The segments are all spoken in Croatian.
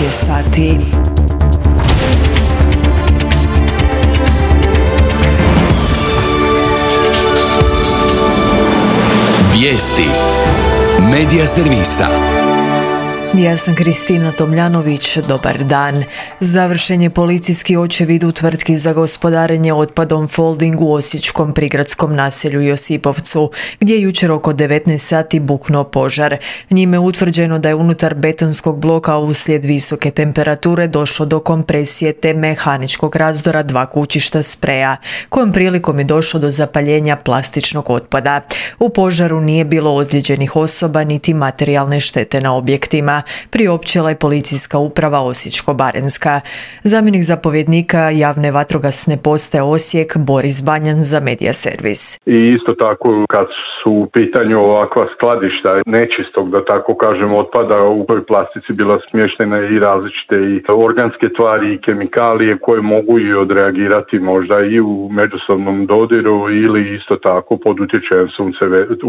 je sati. Vijesti Medija servisa. Ja sam Kristina Tomljanović, dobar dan. Završen je policijski očevid u tvrtki za gospodarenje otpadom Folding u osječkom prigradskom naselju Josipovcu, gdje je jučer oko 19 sati buknuo požar. Njime je utvrđeno da je unutar betonskog bloka uslijed visoke temperature došlo do kompresije te mehaničkog razdora dva kućišta spreja, kojom prilikom je došlo do zapaljenja plastičnog otpada. U požaru nije bilo ozlijeđenih osoba niti materijalne štete na objektima, priopćila je policijska uprava Osječko-baranjska. Zamjenik zapovjednika javne vatrogasne postaje Osijek Boris Banjan za Medija servis. I isto tako kad su u pitanju ovakva skladišta nečistog, da tako kažem, otpada, u toj plastici bila smještene i različite i organske tvari i kemikalije koje mogu i odreagirati možda i u međusobnom dodiru ili isto tako pod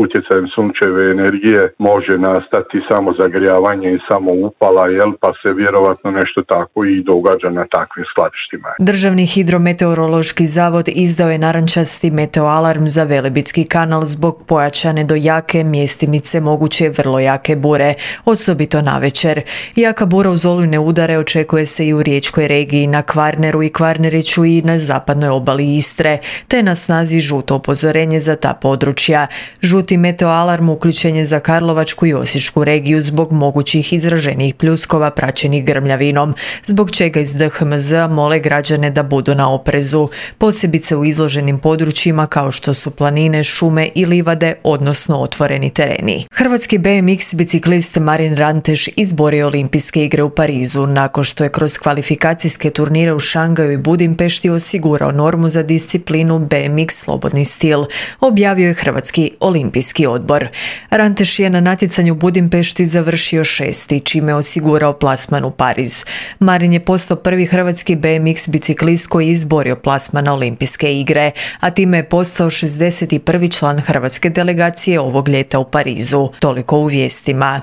utjecajem sunčeve energije može nastati samo zagrijavanje i samo upala, pa se vjerovatno nešto tako i događa na takvim skladištima. Državni hidrometeorološki zavod izdao je narančasti meteoalarm za Velebitski kanal zbog pojačane do jake, mjestimice moguće vrlo jake bure, osobito navečer. Jaka bura uz olujne udare očekuje se i u riječkoj regiji, na Kvarneru i Kvarneriću i na zapadnoj obali Istre, te na snazi žuto upozorenje za ta područja. Žuti meteoalarm uključen je za Karlovačku i Osječku regiju zbog mogućih izraženih pljuskova praćenih grmljavinom, zbog čega iz DHMZ mole građane da budu na oprezu, posebice u izloženim područjima kao što su planine, šume i livade, odnosno otvoreni tereni. Hrvatski BMX biciklist Marin Ranteš izborio olimpijske igre u Parizu nakon što je kroz kvalifikacijske turnire u Šangaju i Budimpešti osigurao normu za disciplinu BMX slobodni stil, objavio je Hrvatski olimpijski odbor. Ranteš je na natjecanju u Budimpešti završio 6. čime je osigurao plasman u Pariz. Marin je postao prvi hrvatski BMX biciklist koji je izborio plasman na olimpijske igre, a time je postao 61. član hrvatske delegacije ovog ljeta u Parizu. Toliko u vijestima.